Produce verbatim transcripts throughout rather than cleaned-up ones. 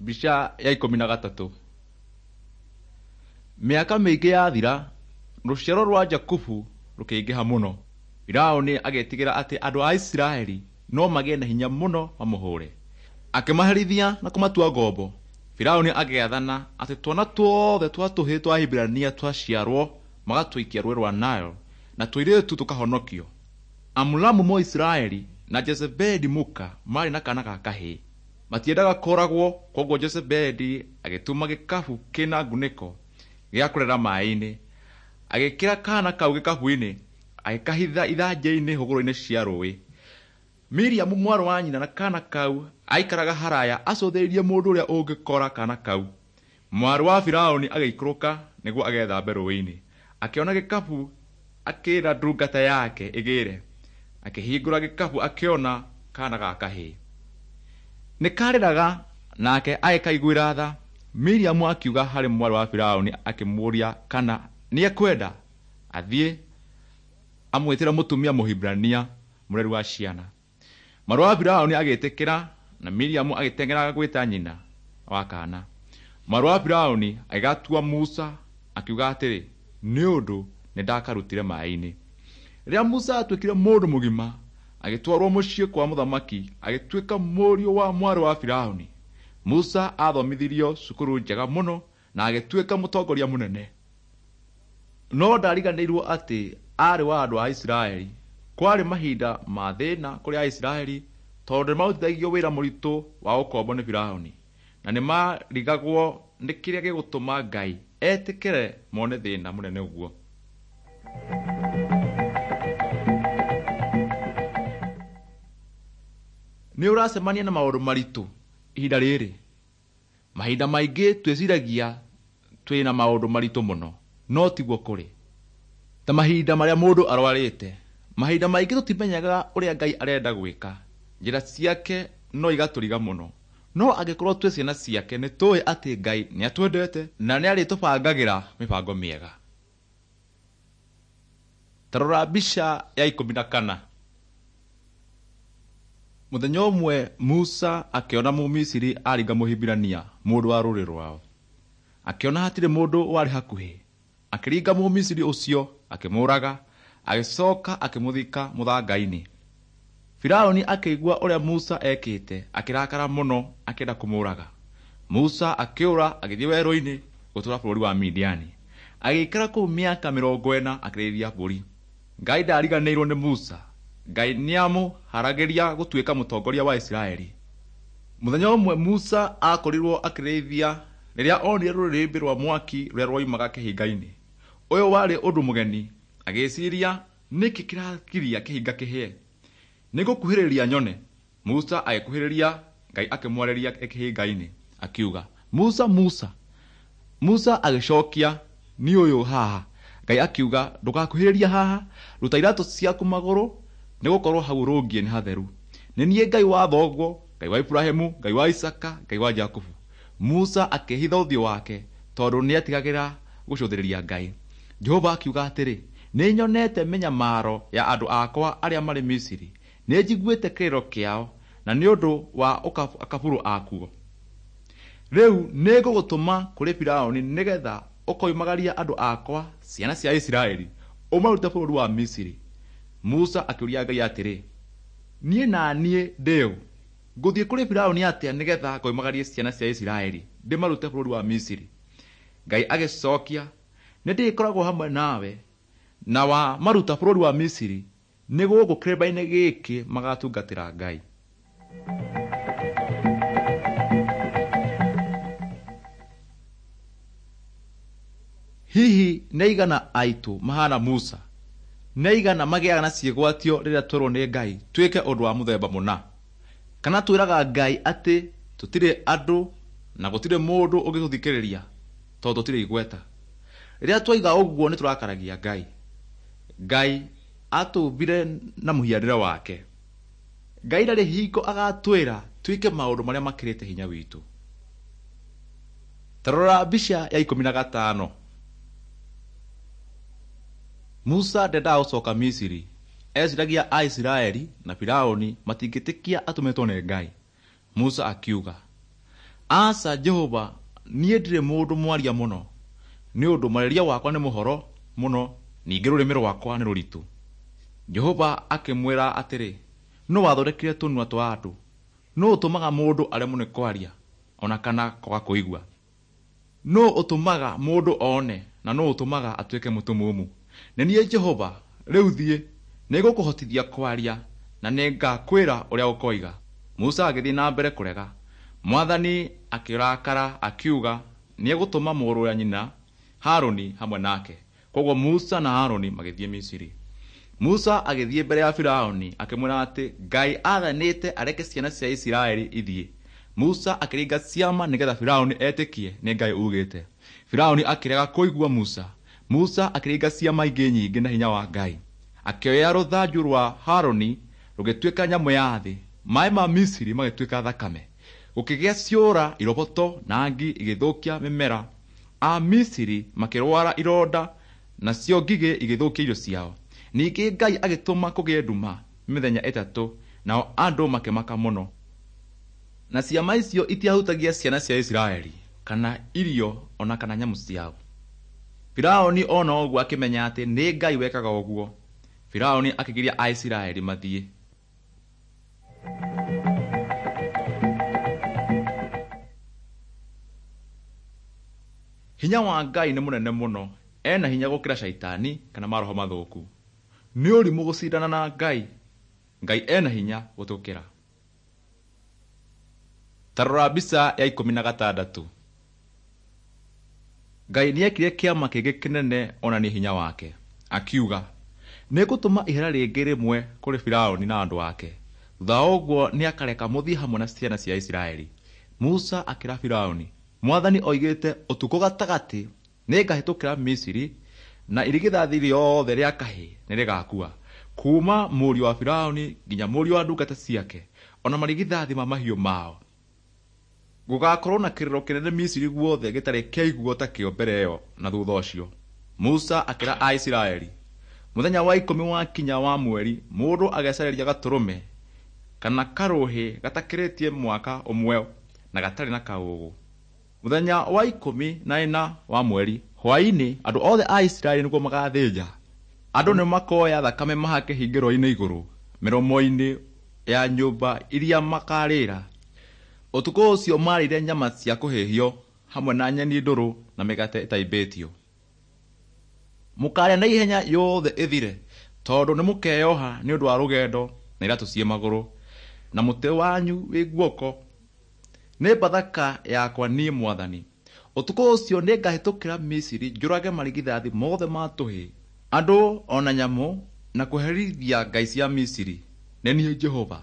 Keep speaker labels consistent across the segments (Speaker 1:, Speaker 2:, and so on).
Speaker 1: Mbica ya ikũmi na gatatũ. Mĩaka mĩingĩ yathira, rũciaro rwa Jakubu rũkĩingĩha mũno. Firaũni agĩtigĩra atĩ andũ a Isiraeli no magĩe na hinya mũno mamũhũre. Akĩmaherithia na kũmatua ngombo. Firaũni agĩathana atĩ twana tuothe twa tũhĩĩ twa Ahibirania twaciarwo magatũikia rũũĩ rwa Nile na tũirĩtu tũkahonokio. Amuramu Mũisiraeli na Jezebeli mũka maarĩ na kaana ga kahĩĩ. Matiendaga kũragwo, kwoguo Jezebeli agĩtuma gĩkabu kĩna ngunĩko gĩa kũrera maĩ-inĩ. Agĩĩkĩra kaana kau gĩkabu-inĩ, agĩkahitha ithanjĩ-inĩ hũgũrũrũ-inĩ cia rũũĩ. Miriamu mwarĩ wa nyina na kaana kau aikaraga haraya acũthĩrĩirie mũndũ ũrĩa ũngĩkora kaana kau. Mwarĩ wa Firaũni agĩikũrũka nĩguo agethambe rũũĩ-inĩ. Akĩona gĩkabu akĩĩra ndungata yake ĩgĩre. Akĩhingũra gĩkabu akĩona kaana ga kahĩĩ. Nĩ karĩraga nake agĩkaiguĩra tha. Miriamu akiuga harĩ mwarĩ wa Firaũni akĩmũũria kana nĩekwenda athiĩ amwĩtĩre mũtumia Mũhibirania mũreri wa ciana. Mwarĩ wa Firaũni agĩtĩkĩra na Miriamu agĩteng'era gwĩta nyina wa kaana. Mwarĩ wa Firaũni agĩgatua Musa akiuga atĩrĩ, nĩ ũndũ nĩndakarutire maĩ-inĩ. Rĩrĩa Musa atuĩkire mũndũ mũgima, agĩtwarwo mũciĩ kwa mũthamaki agĩtuĩka mũriũ wa mwarĩ wa Firaũni. Musa aathomithirio cukuru njega mũno na agĩtuĩka mũtongoria mũnene. No ndariganĩirwo atĩ aarĩ wa andũ a Isiraeli. Kwarĩ mahinda ma thĩna kũrĩ Aisiraeli tondũ nĩmarutithagio wĩra mũritũ wa ũkombo nĩ Firaũni, na nĩmarigagwo nĩ kĩrĩa gĩgũtũma Ngai etĩkĩre mone thĩna mũnene ũguo. Nĩ ũracemania na maũndũ maritũ ihinda rĩrĩ? Mahinda maingĩ twĩciragia twĩna maũndũ maritũ mũno, no tiguo kũrĩ. Ta mahinda marĩa mũndũ arwarĩte, mahinda maingĩ tũtimenyaga ũrĩa Ngai arenda gwĩka. Njĩra ciake no igatũriga mũno. No angĩkorwo twĩ ciana ciake nĩ tũĩ atĩ Ngai nĩatwendete na nĩarĩtũbangagĩra mĩbango mĩega. Ta rora mbica ya ikũmi na kana. Mũthenya ũmwe Musa akĩona Mũmisiri aringa Mũhibirania mũndũ wa rũrĩrĩ rwao. Akĩona hatirĩ mũndũ warĩ hakuhĩ. Akĩringa Mũmisiri ũcio akĩmũũraga, agĩcoka akĩmũthika mũthanga-inĩ. Firaũni akĩigua ũrĩa Musa ekĩte, akĩrakara mũno akĩenda kũmũũraga. Musa akĩũra agĩthiĩ werũ-inĩ gũtũũra bũrũri wa Midiani. Agĩikara kũu mĩaka mĩrongo ĩna akĩrĩithia mbũri. Ngai ndariganĩirwo nĩ Musa. Ngai nĩamũharagĩria gũtuĩka mũtongoria wa Isiraeli. Mũthenya ũmwe Musa akorirwo akĩrĩithia rĩrĩa onire rũrĩrĩmbĩ rwa mwaki rũrĩa rwoimaga kĩhinga-inĩ. Ũyũ warĩ ũndũ mũgeni. Agĩciria nĩkĩ kĩragiria kĩhinga kĩhĩe. Nĩngũkuhĩrĩria nyone. Musa agĩkuhĩrĩria, Ngai akĩmwarĩria e kĩhinga-inĩ akiuga, Musa, Musa. Musa agĩcokia, niĩ ũyũ haha. Ngai akiuga, ndũgakuhĩrĩrie haha, ruta iratũ ciaku magũrũ nĩgũkorwo hau ũrũngiĩ nĩ hatheru. Nĩ niĩ Ngai wa thoguo, Ngai wa Iburahĩmu, Ngai wa Isaaka, Ngai wa Jakubu. Musa akĩhitha ũthiũ wake tondũ nĩetigagĩra gũcũthĩrĩria Ngai. Jehova akiuga atĩrĩ, nĩnyonete mĩnyamaro ya andũ akwa arĩa marĩ Misiri, nĩnjiguĩte kĩrĩro kĩao na nĩ ũndũ wa akabũrũ akuo. Rĩu nĩngũgũtũma kũrĩ Firaũni nĩgetha ũkoimagaria andũ akwa ciana cia Isiraeli ũmarute bũrũri wa Misiri. Musa akĩũria Ngai atĩrĩ, niĩ na niĩ ndĩ ũ? Ngũthiĩ kũrĩ Firaũni atĩa nĩgetha ngoimagarie ciana cia Isiraeli ndĩmarute bũrũri wa Misiri? Ngai agĩcokia, nĩndĩkoragwo hamwe nawe, na wamaruta bũrũri wa Misiri nĩ gũkũ kĩrĩma-inĩ gĩkĩ magatungatĩra Ngai. Hihi nĩ aigana aitũ mahana Musa? Nĩ aigana magĩaga na ciĩgwatio rĩrĩa twerwo nĩ Ngai twĩke ũndũ wa mũthemba mũna? Kana twĩraga Ngai atĩ tũtirĩ andũ na gũtirĩ mũndũ ũngĩtũthikĩrĩria tondũ tũtirĩ igweta? Rĩrĩa twaiga ũguo nĩ tũrakaragia Ngai. Ngai atũmbire na mũhianĩre wake. Ngai ndarĩ hingo agatwĩra twĩke maũndũ marĩa makĩrĩte hinya witũ. Ta rora mbica ya ikũmi na gatano. Musa ndendaga gũcoka Misiri. Eciragia Aisiraeli na Firaũni matingĩtĩkia atũmĩtwo nĩ Ngai. Musa akiuga, Aca Jehova, niĩ ndirĩ mũndũ mwaria mũno, nĩ ũndũ mwarĩrie wakwa nĩ mũhoro mũno, ningĩ rũrĩmĩ rwakwa nĩ rũritũ. Jehova akĩmwĩra atĩrĩ, nũ wathondekire tũnua twa andũ? Nũ ũtũmaga mũndũ aremwo nĩ kwaria ona kana kwaga kũigua? Nũ ũtũmaga mũndũ one na nũ ũtũmaga atuĩke mũtumumu? Nĩ niĩ Jehova. Rĩu thiĩ, nĩngũkũhotithia kwaria na nĩngakwĩra ũrĩa ũkoiga. Musa agĩthiĩ na mbere kũrega. Mwathani akĩrakara akiuga nĩegũtũma mũrũ wa nyina Harũni hamwe nake. Kwoguo Musa na Harũni magĩthiĩ Misiri. Musa agĩthiĩ mbere ya Firaũni akĩmwĩra atĩ Ngai aathanĩte areke ciana cia Isiraeli ithiĩ. Musa akĩringa ciama nĩgetha Firaũni etĩkie nĩ Ngai ugĩte. Firaũni akĩrega kũigua Musa. Musa akĩringa ciama ingĩ nyingĩ na hinya wa Ngai. Akĩoya rũthanju rwa Harũni rũgĩtuĩka nyamũ ya thĩ. Maĩ ma Misiri magĩtuĩka thakame. Gũkĩgĩa ciũra, iroboto na ngi igĩthũkia mĩmera. A Misiri makĩrwara ironda nacio ngigĩ igĩthũkia irio ciao. Ningĩ Ngai agĩtũma kũgĩe nduma mĩthenya ĩtatũ, nao andũ makĩmaka mũno. Na ciama icio itiahutagia ciana cia Isiraeli kana irio ona kana nyamũ ciao. Firaũni ona ũguo akĩmenya atĩ nĩ Ngai wekaga ũguo. Firaũni akĩgiria Aisiraeli mathiĩ. Hinya wa Ngai nĩ mũnene mũno, ena hinya gũkĩra caitani kana maroho mathũku. Nĩ ũrimũ gũcindana na Ngai. Ngai ena hinya gũtũkĩra. Ta rora mbica ya ikũmi na gatandatũ. Ngai nĩekire kĩama kĩngĩ kĩnene onanie hinya wake. Akiuga, nĩngũtũma ihera rĩngĩ rĩmwe kũrĩ Firaũni na andũ ake. Thutha wa ũguo nĩakareka mũthiĩ hamwe na ciana cia Isiraeli. Musa akĩra Firaũni, Mwathani oigĩte ũtukũ gatagatĩ nĩngahĩtũkĩra Misiri na irigithathi rĩothe rĩa kahĩĩ nĩrĩgakua, kuma mũriũ wa Firaũni nginya mũriũ wa ndungata ciake, ona marigithathi ma mahiũ mao. Gũgakorwo na kĩrĩro kĩnene Misiri guothe gĩtarĩ kĩaiguo ta kĩo mbere ĩyo na thutha ũcio. Musa akĩra Aisiraeli, mũthenya wa ikũmi wakinya wa mweri, mũndũ agecareria gatũrũme kana karũhĩ gatakĩrĩtie mwaka ũmwe na gatarĩ na kaũũgũ. Mũthenya wa ikũmi na ĩna wa mweri hwaĩ-inĩ andũ othe a Isiraeli nĩguo magathĩnja. Andũ nĩmakoya thakame mahake hingĩro-inĩ igũrũ mĩromo-inĩ ya nyũmba iria makarĩra. Ũtukũ ũcio marĩire nyama cia kũhĩhio hamwe na nyeni ndũrũ na mĩgate ĩtaimbĩtio. Mũkarĩa na ihenya yothe ĩthire, tondũ nĩmũkeyoha nĩ ũndũ wa rũgendo na iratũ ciĩ magũrũ na mũtĩ wanyu wĩ guoko. Nĩ Bathaka yakwa niĩ Mwathani. Ũtukũ ũcio nĩngahĩtũkĩra Misiri njũrage marigithathi mothe ma tũhĩĩ, andũ ona nyamũ, na kũherithia ngai cia Misiri. Nĩ niĩ Jehova.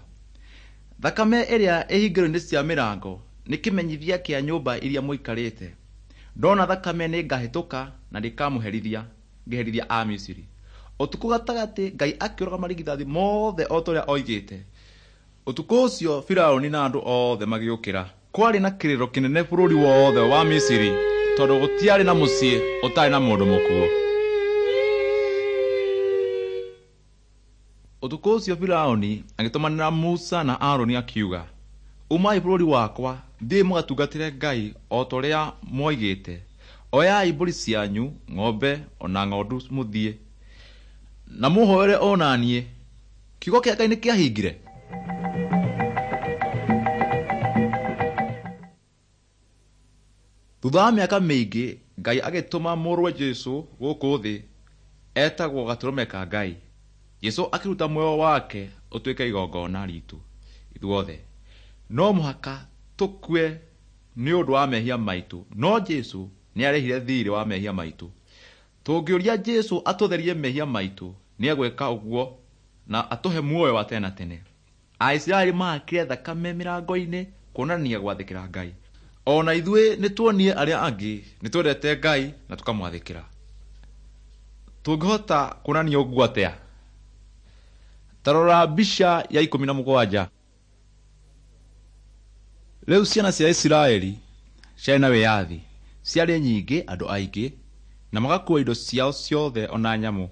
Speaker 1: Thakame ĩrĩa ĩhingĩro-inĩ cia mĩrango nĩ kĩmenyithia kĩa nyũmba iria mũikarĩte. Ndona thakame nĩngahĩtũka na ndikamũherithia ngĩherithia a Misiri. Ũtukũ gatagatĩ Ngai akĩũraga marigithathi mothe o ta ũrĩa oigĩte. Ũtukũ ũcio Firaũni na andũ othe magĩũkĩra. Kwarĩ na kĩrĩro kĩnene bũrũri wothe wa Misiri tondũ gũtiarĩ na mũciĩ ũtarĩ na mũndũ mũkuũ. Ũtukũ ũcio Firaũni agĩtũmanĩra Musa na Aroni akiuga, umai bũrũri wakwa, thiĩ mũgatungatĩre Ngai o ta ũrĩa mwoigĩte. Oyai mbũri cianyu, ng'ombe ona ng'ondu mũthiĩ, na mũhooere o na niĩ. Kiugo kĩa Ngai nĩkĩahingire. Thutha wa mĩaka mĩingĩ Ngai agĩtũma mũrũwe Jesũ gũkũ thĩ etagwo gatũrũme ka Ngai. Jesũ akĩruta muoyo wake ũtuĩke igongona ritũ ithuothe. No mũhaka tũkue nĩ ũndũ wa mehia maitũ, no Jesũ nĩarĩhire thiirĩ wa mehia maitũ. Tũngĩũria Jesũ atũtherie mehia maitũ, nĩegwĩka ũguo na atũhe muoyo wa tene na tene. Aisiraeli mahakire thakame mĩrango-inĩ kuonania gwathĩkĩra Ngai. Ona ithuĩ nĩtuonie arĩa angĩ nĩtwendete Ngai na tũkamwathĩkĩra. Tũngĩhota kuonania ũguo atĩa? Ta rora mbica ya ikũmi na mũgwanja. Rĩu ciana cia Isiraeli ciarĩ na wĩyathi, ciarĩ nyingĩ andũ aingĩ, na magakua indo ciao ciothe ona nyamũ.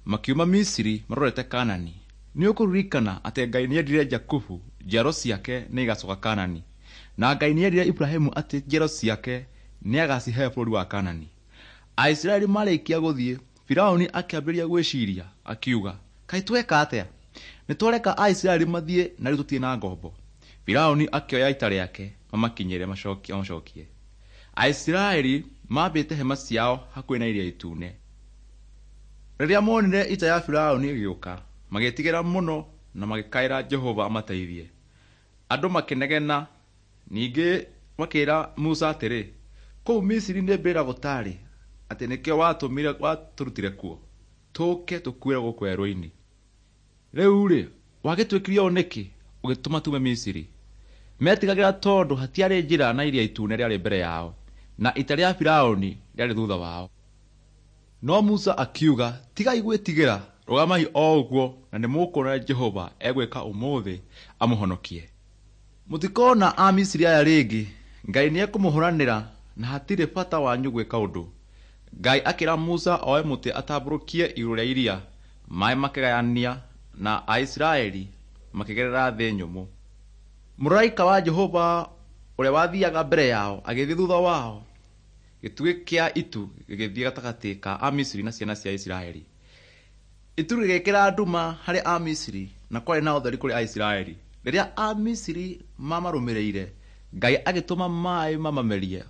Speaker 1: Makiuma Misiri marorete Kanani. Nĩ ũkũririkana atĩ Ngai nĩendire Jakubu, njiaro ciake nĩigacoka Kanani. Na Ngai nĩerire Ibrahimu atĩ njiaro ciake nĩagacihe bũrũri wa Kanani. Aisiraeli marĩkia gũthiĩ, Firaũni akĩambĩrĩria gwĩciria akiuga, kaĩ tweka atĩa? Nĩtwareka Aisiraeli mathiĩ na rĩu tũtirĩ na ngombo. Firaũni akĩoya ita rĩake mamakinyĩre macokie. Aisiraeli mambĩte hema ciao hakuhĩ na Iria Itune. Rĩrĩa monire ita ya Firaũni ĩgĩũka, magĩĩtigĩra mũno na magĩkaĩra Jehova amateithie. Andũ makĩnegena, ningĩ makĩĩra Musa atĩrĩ, kũu Misiri nĩ mbĩrĩra gũtarĩ, atĩ nĩkĩo watũmire watũrutire kuo tũke tũkuĩre gũkũ werũ-inĩ. Rĩu-rĩ, wagĩtwĩkire ũũ nĩkĩ ũgĩtũma tume Misiri? Metigagĩra tondũ hatiarĩ njĩra na Iria Itune rĩarĩ mbere yao na ita rĩa Firaũni rĩarĩ thutha wao. No Musa akiuga, tigai gwĩtigĩra, rũgamai o ũguo na nĩmũkuona Jehova egwĩka ũmũthĩ amũhonokie. Mũtikona Amisiri aya rĩngĩ. Ngai nĩekũmũhũranĩra na hatirĩ bata wanyu gwĩka ũndũ. Ngai akĩra Musa oe mũtĩ atambũrũkie igũrũ rĩa iria, maĩ makĩgayania na Aisiraeli makĩgerera thĩ nyũmũ. Mũraika wa Jehova ũrĩa wathiaga mbere yao agĩthiĩ thutha wao. Gĩtugĩ kĩa itu gĩgĩthiĩ gatagatĩ ka Amisiri na ciana cia Isiraeli. Itu rĩgĩkĩra nduma harĩ Amisiri na kwarĩ na ũtheri kũrĩ Aisiraeli. Rĩrĩa Amisiri mamarũmĩrĩire, Ngai agĩtũma maĩ mamamerie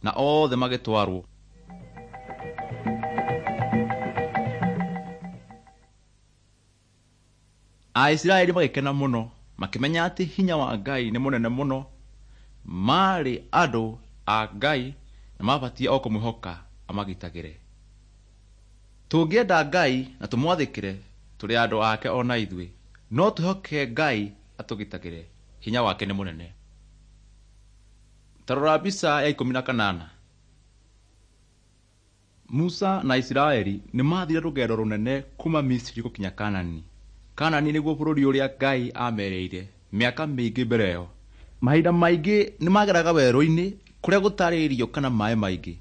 Speaker 1: na othe magĩtwarwo. Aisiraeli magĩkena mũno, makĩmenya atĩ hinya wa Ngai nĩ mũnene mũno. Maarĩ andũ a Ngai na mabatiĩ o kũmwĩhoka amagitagĩre. Tũngĩenda Ngai na tũmwathĩkĩre, tũrĩ andũ ake ona ithuĩ. No twĩhoke Ngai atũgitagĩre. Hinya wake nĩ mũnene. Ta rora mbica ya ikũmi na kanana. Musa na Isiraeli nĩmathire rũgendo rũnene kuma Misiri gũkinya Kanani. Kanani nĩguo bũrũri ũrĩa Ngai aamerĩire mĩaka mĩingĩ mbere ĩyo. Mahinda maingĩ nĩmageraga werũ-inĩ kũrĩa gũtarĩ irio kana maĩ maingĩ.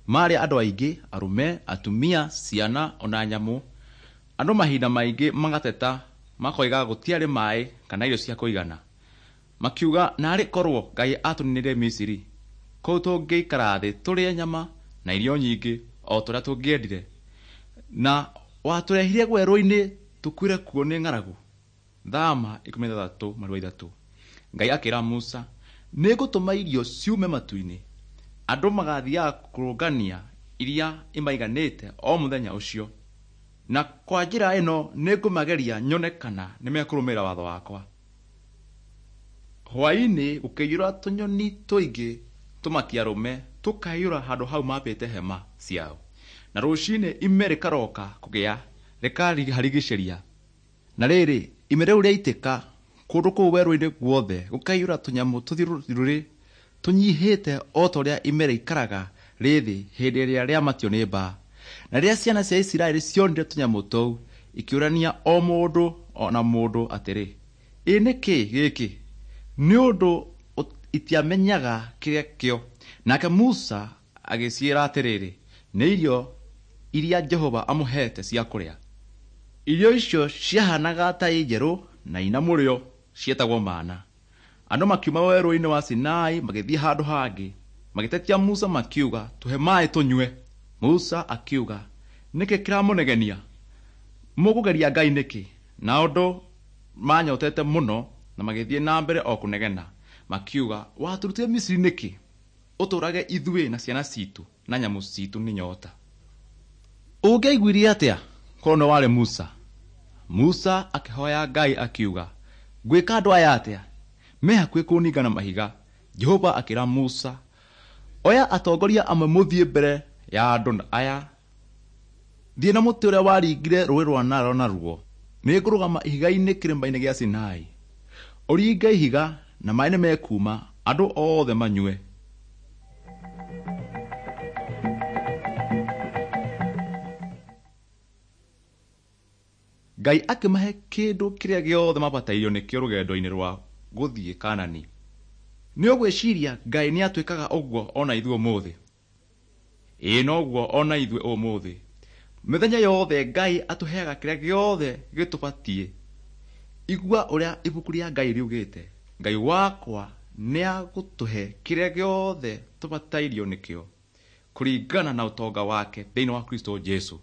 Speaker 1: Maarĩ andũ aingĩ, arũme, atumia, ciana ona nyamũ. Andũ mahinda maingĩ magateta makoiga gũtiarĩ maĩ kana irio cia kũigana. Makiuga naarĩ korwo Ngai atũninire Misiri, kũu tũngĩikara thĩ tũrĩe nyama na irio nyingĩ o ta ũrĩa tũngĩendire. Na watũrehire werũ-inĩ tũkuĩre kuo nĩ ng'aragu. Thama ikũmi na ithathatũ marua ithatũ. Ngai akĩra Musa, nĩngũtũma irio ciume matu-inĩ. Andũ magathiaga kũrũngania iria imaiganĩte o mũthenya ũcio. Na kwa njĩra ĩno nĩngũmageria nyone kana nĩmekũrũmĩrĩra watho wakwa. Hwaĩ-inĩ gũkĩiyũra tũnyoni tũingĩ tũmakiarũme tũkaiyũra handũ hau mambĩte hema ciao. Na rũcinĩ ime rĩkaroka kũgĩa rĩkaharigicĩria. Na rĩrĩ, ime rĩu rĩaitĩka kũndũ kũu werũ-inĩ guothe gũkaiyũra tũnyamũ tũthiũrũrĩ tũnyihĩte o ta ũrĩa ime rĩikaraga rĩ thĩ hĩndĩ ĩrĩa rĩamatio nĩ mbaa. Na rĩrĩa ciana cia Isiraeli cionire tũnyamũ tũu, ikĩũrania o mũndũ o na mũndũ atĩrĩ, ĩ nĩ kĩĩ gĩkĩ? Nĩ ũndũ itiamenyaga kĩrĩa kĩo. Nake Musa agĩciĩra atĩrĩrĩ, nĩ irio iria Jehova amũheete cia kũrĩa. Irio icio ciahanaga ta i njerũ na ina mũrĩo, cietagwo mana. Andũ makiuma werũ-inĩ wa Sinai magĩthiĩ handũ hangĩ, magĩtetia Musa makiuga, tũhe maĩ tũnyue. Musa akiuga, nĩkĩ kĩramũnegenia? Mũkũgeria Ngai nĩkĩ? Na ũndũ manyotete mũno na magĩthiĩ na mbere o kũnegena, makiuga, watũrutire Misiri nĩkĩ? Ũtũũrage ithuĩ na ciana citũ na nyamũ citũ nĩ nyota. Ũngĩaiguire atĩa korwo nĩwe warĩ Musa? Musa akĩhoya Ngai akiuga, ngwĩka andũ aya atĩa? Me hakuhĩ kũninga na mahiga. Jehova akĩra Musa, oya atongoria amwe mũthiĩ mbere ya andũ aya. Thiĩ na mũtĩ ũrĩa waringire rũũĩ rwa Nile naruo. Nĩngũrũgama ihiga-inĩ kĩrĩma-inĩ gĩa Sinai. Ũringe ihiga na maĩ nĩmekuuma, andũ othe manyue. Ngai akĩmahe kĩndũ kĩrĩa gĩothe mabatairio nĩkĩo rũgendo-inĩ rwa gũthiĩ Kanani. Nĩ ũgwĩciria Ngai nĩatwĩkaga ũguo ona ithuĩ ũmũthĩ? Ĩĩ noguo ona ithuĩ ũmũthĩ. Mĩthenya yothe Ngai atũheaga kĩrĩa gĩothe gĩtũbatiĩ. Igua ũrĩa ibuku rĩa Ngai riugĩte, Ngai wakwa Nĩagũtũhe kĩrĩa gĩothe tũbatairio nĩkĩo kũringana na ũtonga wake thĩinĩ wa Kristo Jesu.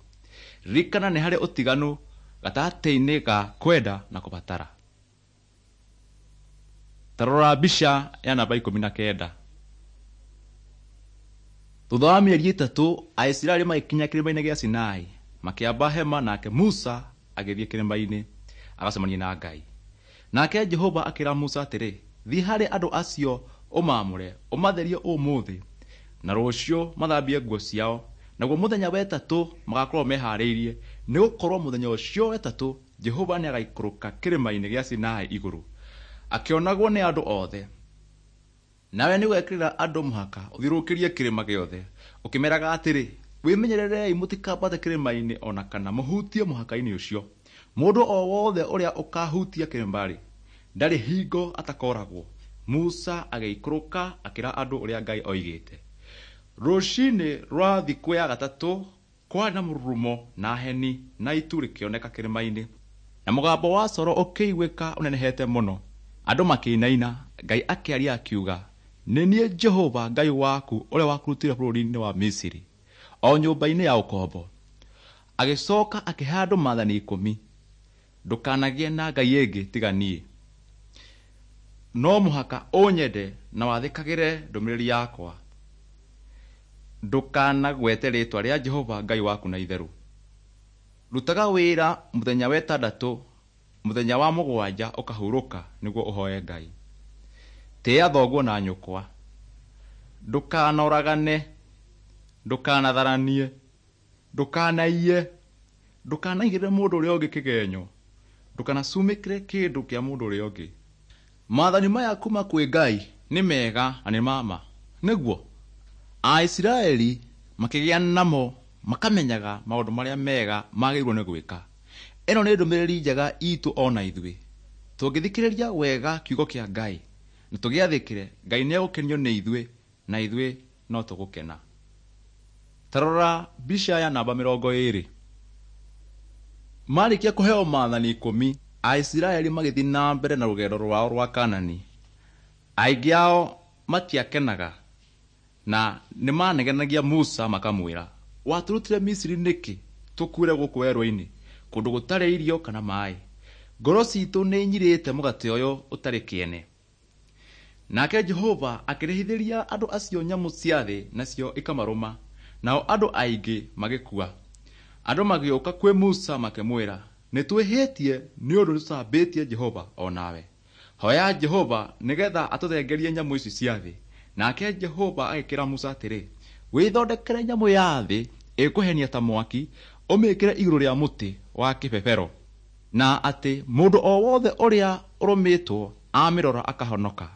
Speaker 1: Ririkana nĩ harĩ ũtiganu gatagatĩ-inĩ ga kwenda na kũbatara. Ta rora mbica ya namba ikũmi na kenda. Thutha wa mĩeri ĩtatũ Aisiraeli magĩkinya kĩrĩma-inĩ gĩa Sinai, makĩamba hema, nake Musa agĩthiĩ kĩrĩma-inĩ agacemanie na Ngai. Nake Jehova akĩra Musa atĩrĩ, thiĩ harĩ andũ acio ũmaamũre, ũmatherie ũmũthĩ na rũciũ mathambie nguo ciao, naguo mũthenya wa ĩtatũ magakorwo meharĩirie, nĩgũkorwo mũthenya ũcio wa ĩtatũ Jehova nĩagaikũrũka kĩrĩma-inĩ gĩa Sinai igũrũ akĩonagwo nĩ andũ othe. Nawe nĩũgekĩrĩra andũ mũhaka ũthiũrũrũkĩrie kĩrĩma gĩothe ũkĩmeraga atĩrĩ, wĩmenyererei mũtikambate kĩrĩma-inĩ ona kana mũhutie mũhaka-inĩ ũcio. Mũndũ o wothe ũrĩa ũkahutia kĩrĩma-rĩ, ndarĩ hingo atakooragwo. Musa agĩikũrũka akĩra andũ ũrĩa Ngai oigĩte. Rũcinĩ rwa thikũ ya gatatũ kwarĩ na mũrurumo na heni na itu rĩkĩoneka kĩrĩma-inĩ, na mũgambo wa coro ũkĩiguĩka ũnenehete mũno. Andũ makĩinaina. Ngai akĩaria akiuga, nĩ niĩ Jehova Ngai waku ũrĩa wakũrutire bũrũri-inĩ wa Misiri, o nyũmba-inĩ ya ũkombo. Agĩcoka akĩhe andũ maathani ikũmi, ndũkanagĩe na ngai ĩngĩ tiga niĩ. No mũhaka ũnyende na wathĩkagĩre ndũmĩrĩri yakwa. Ndũkanagwete rĩĩtwa rĩa Jehova Ngai waku na itherũ. Rutaga wĩra mũthenya wa ĩtandatũ, mũthenya wa mũgwanja ũkahurũka nĩguo ũhoe Ngai. Tĩĩa thoguo na nyũkwa. Ndũkanoragane, ndũkanatharanie, ndũkanaiye, ndũkanaigĩrĩre mũndũ ũrĩa ũngĩ kĩgenyo, ndũkanacumĩkĩre kĩndũ kĩa mũndũ ũrĩa ũngĩ. Maathani maya kuma kwĩ Ngai nĩ mega na nĩ ma ma. Nĩguo Aisiraeli makĩgĩa namo makamenyaga maũndũ marĩa mega magĩrĩirwo nĩ gwĩka. Ĩno nĩ ndũmĩrĩri njega itũ ona ithuĩ. Tũngĩthikĩrĩria wega kiugo kĩa Ngai na tũgĩathĩkĩre, Ngai nĩegũkenio nĩ ithuĩ na ithuĩ no tũgũkena. Ta rora mbica ya namba mĩrongo ĩĩrĩ. Marĩkia kũheo maathani ikũmi, Aisiraeli magĩthiĩ na mbere na rũgendo rwao rwa Kanani. Aingĩ ao matiakenaga na nĩmanegenagia Musa makamwĩra, watũrutire Misiri nĩkĩ tũkuĩre gũkũ werũ-inĩ kũndũ gũtarĩ irio kana maĩ? Ngoro citũ nĩ inyirĩte mũgate ũyũ ũtarĩ kĩene. Nake Jehova akĩrehithĩria andũ acio nyamũ cia thĩ nacio ikamarũma, nao andũ aingĩ magĩkua. Andũ magĩũka kwĩ Musa makĩmwĩra, nĩtwĩhĩtie nĩ ũndũ nĩtũcambĩtie Jehova o nawe. Hoya Jehova nĩgetha atũthengerie nyamũ ici cia thĩ. Nake Jehova agĩkĩra Musa atĩrĩ, wĩthondekere nyamũ ya thĩ ĩkũhenia ta mwaki, ũmĩĩkĩre igũrũ rĩa mũtĩ wa kĩbebero, na atĩ mũndũ o wothe ũrĩa ũrũmĩtwo amĩrora akahonoka.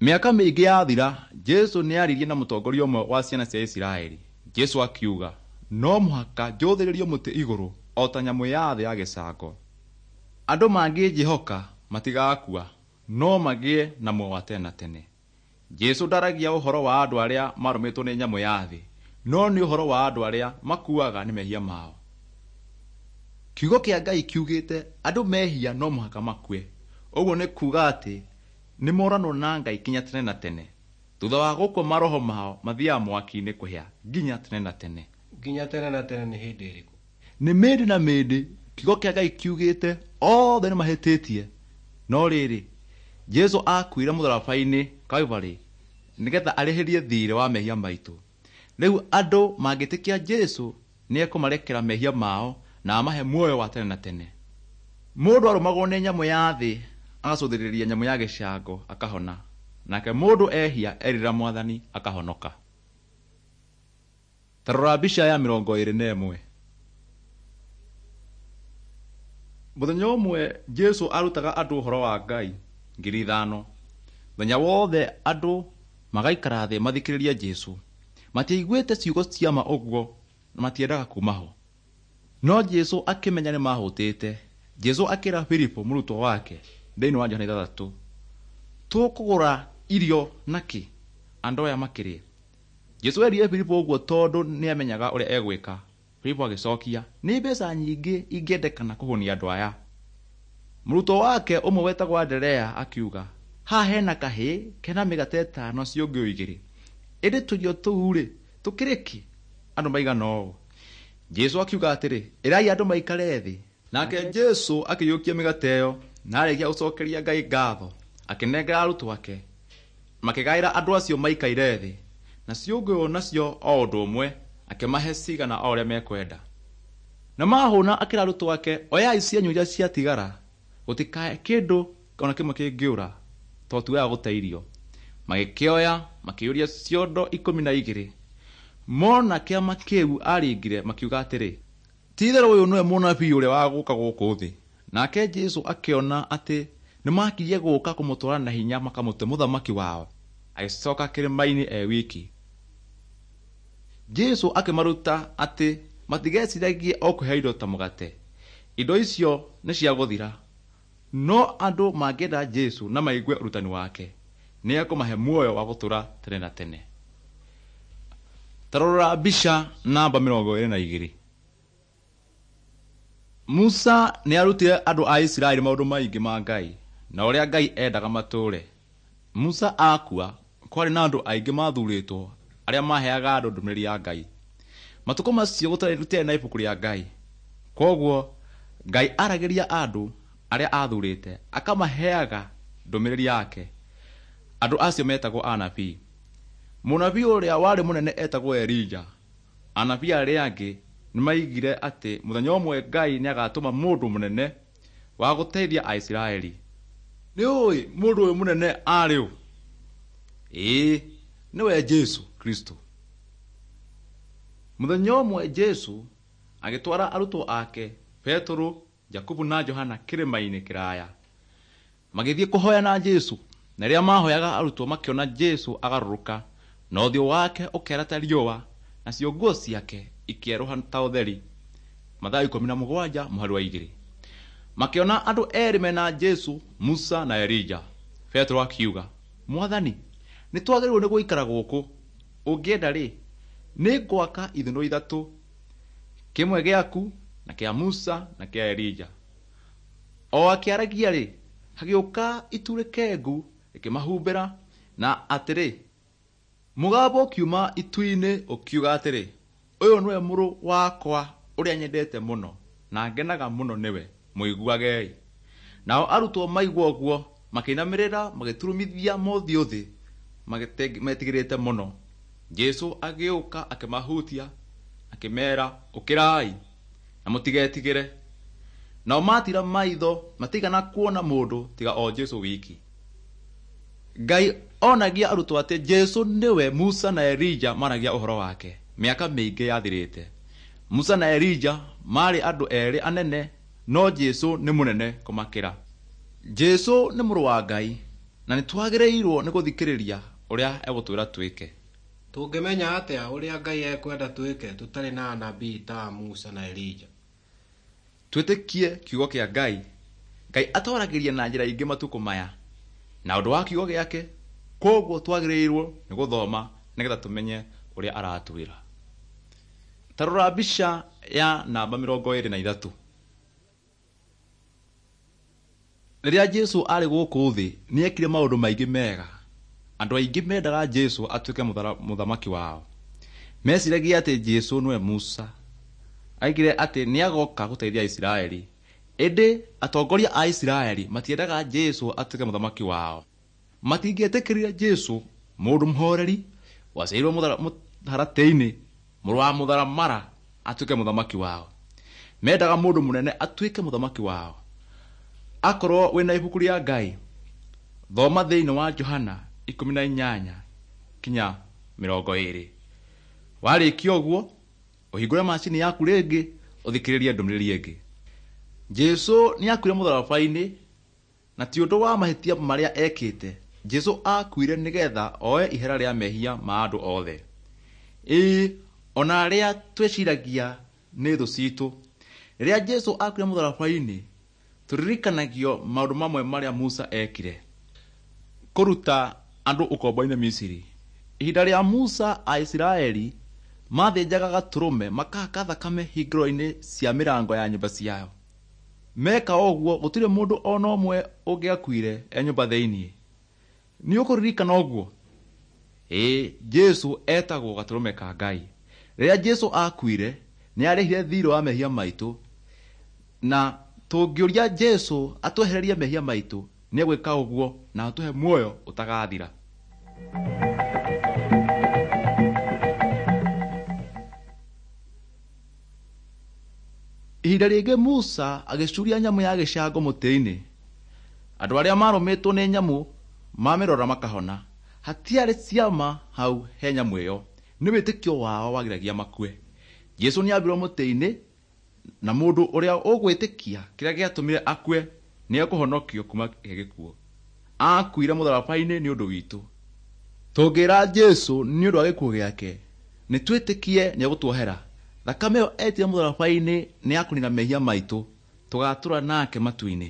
Speaker 1: Mĩaka mĩingĩ yathira, Jesu nĩaririe na mũtongoria ũmwe wa ciana cia Isiraeli. Jesu akiuga, no mũhaka njũthĩrĩrio mũtĩ igũrũ o ta nyamũ ya thĩ ya gĩcango. Andũ mangĩnjĩhoka matigakua, no magĩe na muoyo wa tene na tene. Jesu ndaragia ũhoro wa andũ arĩa marũmĩtwo nĩ nyamũ ya thĩ, no nĩ ũhoro wa andũ arĩa makuaga nĩ mehia mao. Kiugo kĩa Ngai kiugĩte andũ mehia no mũhaka makue. Ũguo nĩ kuuga atĩ nĩ moranwo na Ngai kinya tene na tene. Thutha wa gũkua maroho mao mathiaga mwaki-inĩ kũhĩa nginya tene na tene.
Speaker 2: Nginya tene na tene nĩ hĩndĩ ĩrĩkũ?
Speaker 1: Nĩ mĩndĩ na mĩndĩ kiugo kĩa Ngai kiugĩte othe nĩ mahĩtĩtie. No rĩrĩ, Jesu akuire mũtharaba-inĩ Calvary nĩgetha arĩhĩrie thiirĩ wa mehia maitũ. Rĩu andũ mangĩtĩkia Jesu nĩekũmarekera mehia mao na amahe muoyo wa tene na tene. Mũndũ arũmagwo nĩ nyamũ ya thĩ agacũthĩrĩria nyamũ ya gĩcango akahona, nake mũndũ ehia erira Mwathani akahonoka. Ta rora mbica ya mĩrongo ĩĩrĩ na ĩmwe. Mũthenya ũmwe Jesu arutaga andũ ũhoro wa Ngai ngiri ithano. Mũthenya wothe andũ magaikara thĩ mathikĩrĩrie Jesu. Matiaiguĩte ciugo cia ma ũguo na matiendaga kuuma ho. No Jesu akĩmenya nĩ mahũtĩte. Jesu akĩra Filipo mũrutwo wake thĩinĩ wa Johana ithathatũ, tũkũgũra irio nakĩ andũ aya makĩrĩe? Jesu erire Filipo ũguo tondũ nĩamenyaga ũrĩa egwĩka. Filipo agĩcokia, nĩ mbeca nyingĩ ingĩendekana kũhũnia andũ aya. Mũrutwo wake ũmwe wetagwo Anderea akiuga, haha hena kahĩĩ kena mĩgate ĩtano ciũngũyũ igĩrĩ, ĩndĩ tũirio tũu-rĩ tũkĩrĩ kĩ andũ maigana ũũ? Jesũ akiuga atĩrĩ, ĩrai andũ maikare thĩ. Nake Jesũ akĩiyũkia mĩgate ĩyo na arĩkia gũcokeria Ngai ngatho, akĩnengera arutwo ake, makĩgaĩra andũ acio maikaire thĩ. Na ciũngũyũ nacio o ũndũ ũmwe, akĩmahe cigana o ũrĩa mekwenda. Na mahũna akĩra arutwo ake, oyai cianyu iria ciatigara, gũtikae kĩndũ ona kĩmwe kĩngĩũra, tondũ ti wega gũte irio. Magĩkĩoya makĩiyũria ciondo ikũmi na igĩrĩ. Mona kĩama kĩu aringire makiuga atĩrĩ, ti-itherũ ũyũ nĩwe mũnabii ũrĩa wa gũka gũkũ thĩ. Nake Jesũ akĩona atĩ nĩmakirie gũka kũmũtwara na hinya makamũtue mũthamaki wao, agĩcoka kĩrĩma-inĩ e wiki. Jesũ akĩmaruta atĩ matigeciragie o kwĩhe indo ta mũgate, indo icio nĩ cia gũthira, no andũ mangĩenda Jesũ na maigue ũrutani wake, nĩ ekũmahe muoyo wa gũtũũra tene na tene. Ta rora mbica namba mĩrongo ĩrĩ na igĩrĩ. Musa nĩ arutire andũ a Isiraeli maũndũ maingĩ ma Ngai na ũrĩa Ngai endaga matũũre. Musa akua, kwarĩ na andũ aingĩ mathurĩtwo arĩa maheaga andũ ndũmĩrĩri ya Ngai. Matukũ macio gũtarĩ na ibuku rĩa Ngai. Kwoguo Ngai aragĩria andũ arĩa athurĩte akamaheaga ndũmĩrĩri yake. Andũ acio metagwo anabii. Mũnabii ũrĩa warĩ mũnene etagwo Elija. Anabii arĩa angĩ nĩmaigire atĩ mũthenya ũmwe Ngai nĩagatũma mũndũ mũnene wa gũteithia Aisiraeli. Nĩ ũĩ mũndũ ũyũ mũnene arĩ ũ? Ĩĩ, nĩwe Jesũ Kristo. Mũthenya ũmwe Jesũ agĩtwara arutwo ake Petero, Jakubu na Johana kĩrĩma-inĩ kĩraya. Magĩthiĩ kũhoya na Jesũ, na rĩrĩa mahoyaga arutwo makĩona Jesũ agarũrũka, na ũthiũ wake ũkĩara ta riũa, nacio nguo ciake ikĩerũha ta ũtheri. Mathayo ikũmi na mũgwanja mũhari wa igĩrĩ. Makĩona andũ erĩ mena Jesũ, Musa na Elija. Petero akiuga, Mwathani, nĩ twagĩrĩirwo nĩ gũikara gũkũ. Ũngĩenda rĩ, nĩ ngwaka ithũnũ ithatũ, kĩmwe gĩaku na kĩa Musa na kĩa Elija. O akĩaragia rĩ, hagĩũka itu rĩkengu rĩkĩmahumbĩra, na atĩrĩ, mũgambo ũkiuma itu-inĩ ũkiuga atĩrĩ, ũyũ nĩwe mũrũ wakwa ũrĩa nyendete mũno na ngenaga mũno nĩwe, mũiguagei. Nao arutwo maigua ũguo makĩinamĩrĩra magĩturumithia mothiũ thĩ metigĩrĩte mũno. Jesũ agĩũka akĩmahutia akĩmeera, ũkĩrai na mũtigetigĩre. Nao matira maitho matigana kuona mũndũ tiga o Jesũ wiki. Ngai onagia arutwo atĩ Jesũ nĩwe Musa na Elija maragia ũhoro wake mĩaka mĩingĩ yathirĩte. Musa na Elija maarĩ andũ erĩ anene, no Jesũ nĩ mũnene kũmakĩra. Jesũ nĩ mũrũ wa Ngai na nĩ twagĩrĩirwo nĩ gũthikĩrĩria ũrĩa egũtwĩra twĩke.
Speaker 2: Tũngĩmenya atĩa ũrĩa Ngai ekwenda twĩke tũtarĩ na anabii ta Musa na Elija?
Speaker 1: Twĩtĩkie kiugo kĩa Ngai. Ngai atwaragĩria na njĩra ingĩ matukũ maya na ũndũ wa kiugo gĩake, koguo twagĩrĩirwo nĩ gũthoma nĩgetha tũmenye ũrĩa aratwĩra. Ta rora mbica ya namba mĩrongo ĩrĩ na ithatũ. Rĩrĩa Jesũ arĩ gũkũ thĩ nĩekire maũndũ maingĩ mega. Andũ aingĩ mendaga Jesũ atuĩke mũthamaki wao. Meciragia atĩ Jesũ nĩwe Musa. Aigire atĩ nĩagoka gũteithia Isiraeli. Ĩndĩ atongoria a Isiraeli matiendaga Jesũ atuĩke mũthamaki wao. Matingĩetĩkĩrire Jesũ, mũndũ mũhoreri waciarirwo mũharatĩ-inĩ, mũrũ wa mũtharamara, atuĩke mũthamaki wao. Mendaga mũndũ mũnene atuĩke mũthamaki wao. Akorwo wĩna ibuku rĩa Ngai, thoma thĩinĩ wa Johana ikũmi na inyanya kinya mĩrongo ĩrĩ. Warĩkia ũguo, ũhingũre macini yaku rĩngĩ ũthikĩrĩrie ndũmĩrĩri ĩngĩ. Jesũ nĩakuire mũtharaba-inĩ na ti ũndũ wa mahĩtia marĩa ekĩte. Jesũ akuire nĩgetha oe ihera rĩa mehia ma andũ othe. Ĩĩ, ona arĩa twĩciragia nĩ thũ citũ. Rĩrĩa Jesũ akuire mũtharaba-inĩ, tũririkanagio maũndũ mamwe marĩa Musa ekire. Kũruta andũ ũkombo-inĩ Misiri. Ihinda rĩa Musa Aisiraeli Mathĩnjaga gatũrũme makahaka thakame hingĩro-inĩ cia mĩrango ya nyũmba ciao. Meka ũguo gũtirĩ mũndũ ona ũmwe ũngĩakuire e nyũmba thĩinĩ. Nĩ ũkũririkana ũguo? Ĩĩ, Jesũ etagwo gatũrũme ka Ngai. Rĩrĩa Jesũ akuire, nĩ arĩhire thiirĩ wa mehia maitũ, na tũngĩũria Jesũ atwehererie mehia maitũ, nĩ egwĩka ũguo na atũhe muoyo ũtagathira. Ihinda rĩngĩ Musa agĩcuria nyamũ ya gĩcango mũtĩ-inĩ. Andũ arĩa marũmĩtwo nĩ nyamũ mamĩrora makahona. Hatiarĩ ciama hau he nyamũ ĩyo, nĩ wĩtĩkio wao wagiragia makue. Jesũ nĩambirwo mũtĩ-inĩ, na mũndũ ũrĩa ũgwĩtĩkia kĩrĩa gĩatũmire akue nĩ ekũhonokio kuma he gĩkuũ. Akuire mũtharaba-inĩ nĩ ũndũ witũ. Tũngĩra Jesũ nĩ ũndũ wa gĩkuũ gĩake, nĩ twĩtĩkie nĩ egũtuohera. Thakame ĩyo etire mũtharaba-inĩ nĩ ya kũnina mehia maitũ, tũgatũra nake matu-inĩ.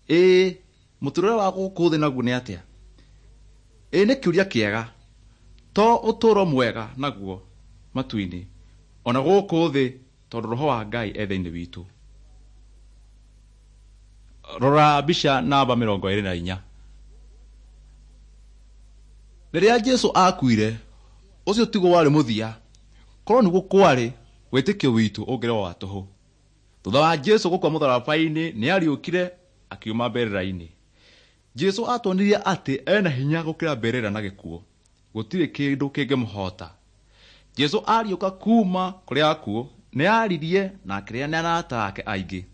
Speaker 1: Ĩĩ, mũtũrĩre wa gũkũ thĩ naguo nĩ atĩa? Ĩĩ nĩ kĩũria kĩega. To ũtũũro mwega naguo matu-inĩ, ona gũkũ thĩ tondũ Roho wa Ngai e thĩinĩ witũ. Rora mbica namba mĩrongo ĩrĩ na inya. Rĩrĩa Jesũ akuire, ũcio tiguo warĩ mũthia. Korwo nĩguo kwarĩ, wĩtĩkio witũ ũngĩrĩ wa tũhũ. Thutha wa Jesũ gũkua mũtharaba-inĩ, nĩ ariũkire akiuma mbĩrĩra-inĩ. Jesũ atuonirie atĩ ena hinya gũkĩra mbĩrĩra na gĩkuũ. Gũtirĩ kĩndũ kĩngĩmũhota. Jesũ ariũka kuma kũrĩ akuũ, nĩ aririe na akĩrĩa na arata ake aingĩ.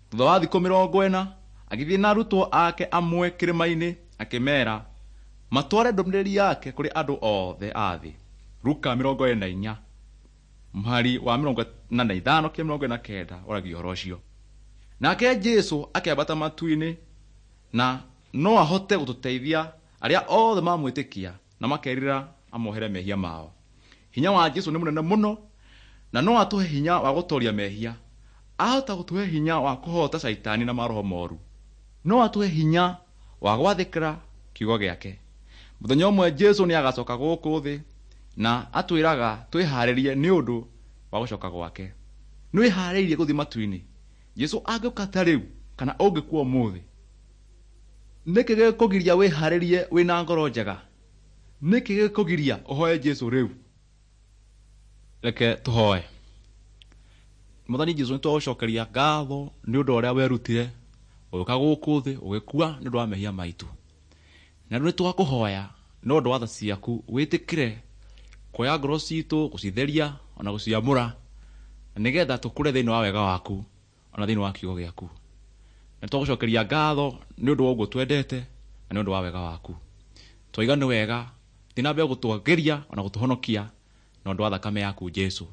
Speaker 1: Thutha wa thikũ mĩrongo ĩna, agĩthiĩ na arutwo ake amwe kĩrĩma-inĩ akĩmeera matware ndũmĩrĩri yake kũrĩ andũ othe a thĩ. Luka mĩrongo ĩrĩ na inya mũhari wa mĩrongo ĩna na ithano kinya mĩrongo ĩna na kenda ũragia ũhoro ũcio. Nake Jesũ akĩambata matu-inĩ na no ahote gũtũteithia arĩa othe mamwĩtĩkia na makerira amohere mehia mao. Hinya wa Jesũ nĩ mũnene mũno na no atũhe hinya wa gũtoria mehia. Ahota gũtũhe hinya wa kũhota caitani na maroho moru. No atũhe hinya wa gwathĩkĩra kiugo gĩake. Mũthenya ũmwe Jesũ nĩ agacoka gũkũ thĩ na atwĩraga twĩharĩrie nĩ ũndũ wa gũcoka gwake. Nĩ wĩharĩirie gũthiĩ matu-inĩ? Jesũ angĩũka ta rĩu kana ũngĩkua ũmũthĩ, nĩkĩ gĩkũgiria wĩharĩrie wĩna ngoro njega? Nĩkĩ gĩkũgiria ũhoe Jesũ rĩu? Reke tũhoe. Mwathani Jesũ, nĩ twagũcokeria ngatho nĩ ũndũ ũrĩa werutire ũgĩũka gũkũ thĩ ũgĩkua nĩ ũndũ wa mehia maitũ. Na rĩu nĩ twakũhoya nĩ ũndũ wa tha ciaku wĩtĩkĩre kuoya ngoro citũ gũcitheria ona gũciamũra, na nĩgetha tũkũre thĩinĩ wa wega waku ona thĩinĩ wa kiugo gĩaku. Na twagũcokeria ngatho nĩ ũndũ wa ũguo twendete na nĩ ũndũ wa wega waku. Twaiga nĩ wega thiĩ na mbere gũtwagĩria ona gũtũhonokia na ũndũ wa thakame yaku Jesũ.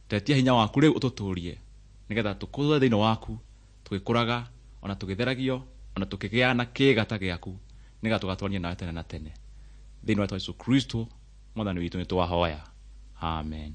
Speaker 1: Tetia hinya waku rĩu ũtũtũrie nĩgetha tũkũre thĩinĩ waku tũgĩkũraga ona tũgĩtheragio ona tũkĩgĩa na kĩĩga ta gĩaku nĩgetha tũgatũrania nawe tene na tene. Thĩinĩ wa Jesũ Kristo Mwathani witũ nĩ twahoya. Amen.